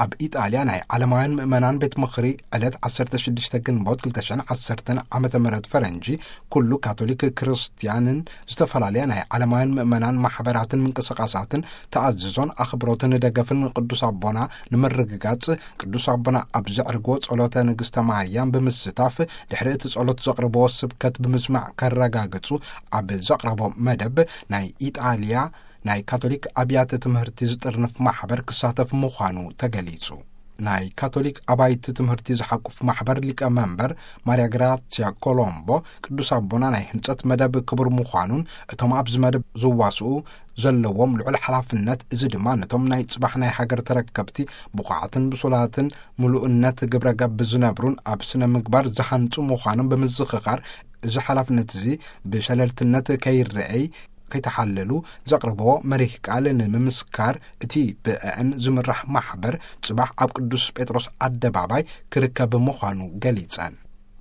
ኣብ ኢጣልያ ናይ ዓለማውያን ምእመናን ቤት ምኽሪ ዕለት ዓሰርተ ሽዱሽተ ግንቦት ክልተ ሽሕን ዓሰርተን ዓመተ ምህረት ፈረንጂ፣ ኩሉ ካቶሊክ ክርስትያንን ዝተፈላለያ ናይ ዓለማውያን ምእመናን ማሕበራትን ምንቅስቃሳትን ተኣዝዞን ኣኽብሮትን ደገፍን ቅዱስ ኣቦና ንምርግጋጽ፣ ቅዱስ ኣቦና ኣብ ዘዕርጎ ጸሎተ ንግስተ ማርያም ብምስታፍ፣ ድሕሪ እቲ ጸሎት ዘቕርብዎ ስብከት ብምስማዕ ከረጋግጹ፣ ኣብ ዘቕረቦ መደብ፣ ናይ ኢጣልያ ናይ ካቶሊክ ኣብያተ ትምህርቲ ዝጥርንፍ ማሕበር ክሳተፍ ምዃኑ ተገሊጹ። ናይ ካቶሊክ ኣባይቲ ትምህርቲ ዝሓቁፍ ማሕበር ሊቀ መንበር ማርያ ግራሲያ ኮሎምቦ፣ ቅዱስ ኣቦና ናይ ህንጸት መደብ ክቡር ምዃኑን፣ እቶም ኣብዚ መደብ ዝዋስኡ ዘለዎም ልዑል ሓላፍነት፣ እዚ ድማ ነቶም ናይ ጽባሕ ናይ ሃገር ተረከብቲ ብቑዓትን ብሱላትን ምሉእነት ግብረ ገብ ዝነብሩን ኣብ ስነ ምግባር ዝሃንጹ ምዃኖም ብምዝኽኻር፣ እዚ ሓላፍነት እዚ ብሸለልትነት ከይረኣይ ከይተሓለሉ ዘቕርብዎ መሪህ ቃል ንምምስካር፣ እቲ ብእዕን ዝምራሕ ማሕበር ጽባሕ ኣብ ቅዱስ ጴጥሮስ ኣደባባይ ክርከብ ምዃኑ ገሊጸን።